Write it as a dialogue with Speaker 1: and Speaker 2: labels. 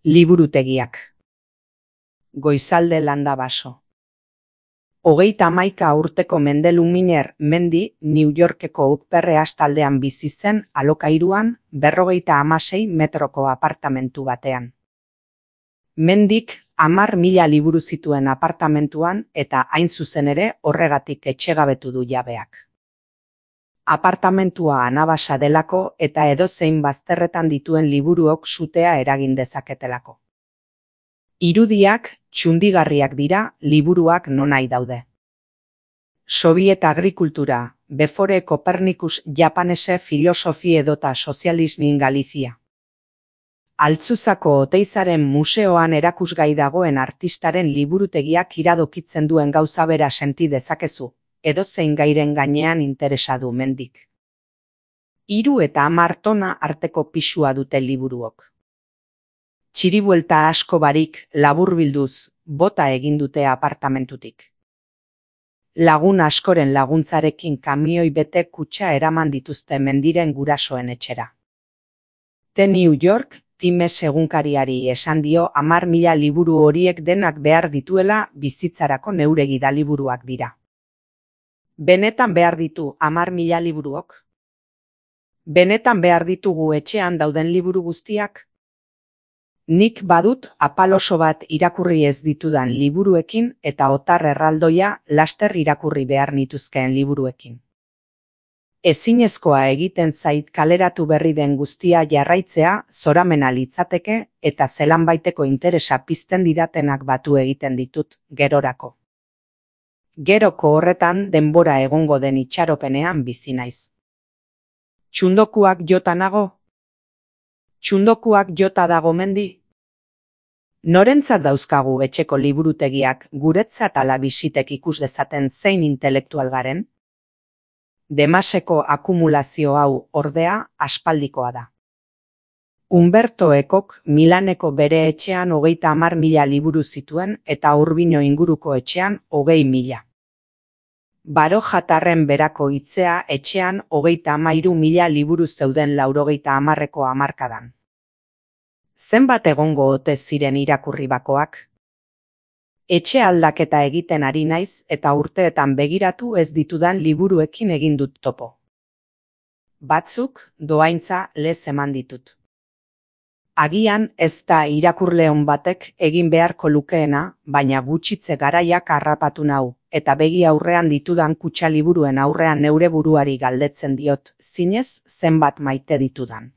Speaker 1: Liburutegiak. Goizalde Landabaso. 31 urteko Mende Luminer Mendi New Yorkeko Upper East taldean bizi zen alokairuan 56 metroko apartamentu batean. Mendik 10.000 liburu zituen apartamentuan eta hain zuzen ere horregatik etxegabetu du jabeak. Apartamentua anabasa delako eta edozein bazterretan dituen liburuok sutea eragin dezaketelako. Irudiak txundigarriak dira, liburuak nonahi daude. Soviet agrikultura, before Copernicus Japanese filosofi edota sozialismin Galizia. Altzuzako Oteizaren museoan erakusgai dagoen artistaren liburutegiak iradokitzen duen gauza bera senti dezakezu, edozein gairen gainean interesa du Mendik. 3 eta 10 tona arteko pisua dute liburuok. Txiribuelta asko barik, laburbilduz, bota egin dute apartamentutik. Lagun askoren laguntzarekin kamioi bete kutxa eraman dituzte Mendiren gurasoen etxera. The New York Times egunkariari esan dio 10.000 liburu horiek denak behar dituela bizitzarako neure gidaliburuak dira. Benetan behar ditu 10.000 liburuok? Benetan behar ditugu etxean dauden liburu guztiak? Nik badut apal oso bat irakurri ez ditudan liburuekin eta otar erraldoia laster irakurri behar nituzkeen liburuekin. Ezinezkoa egiten zait kaleratu berri den guztia jarraitzea zoramena litzateke eta zelanbaiteko interesa pizten didatenak batu egiten ditut gerorako. Geroko horretan denbora egongo den itxaropenean bizi naiz. Txundokuak jota nago? Txundokuak jota dago Mendi? Norentzat dauzkagu etxeko liburutegiak guretzat ala bisitek ikus dezaten zein intelektual garen? Demaseko akumulazio hau ordea aspaldikoa da. Umberto Ecok Milaneko bere etxean 30.000 liburu zituen eta Urbino inguruko etxean 20.000. Barojatarren berako hitzea etxean 33.000 liburu zeuden 90ko hamarkadan. Zenbat egongo ote ziren irakurri bakoak? Etxe aldaketa egiten ari naiz eta urteetan begiratu ez ditudan liburuekin egin dut topo. Batzuk dohaintza lez eman ditut. Agian ez da irakurleon batek egin beharko lukeena, baina gutxitze garaiak harrapatu nau, eta begi aurrean ditudan kutxa liburuen aurrean neure buruari galdetzen diot, zinez zenbat maite ditudan.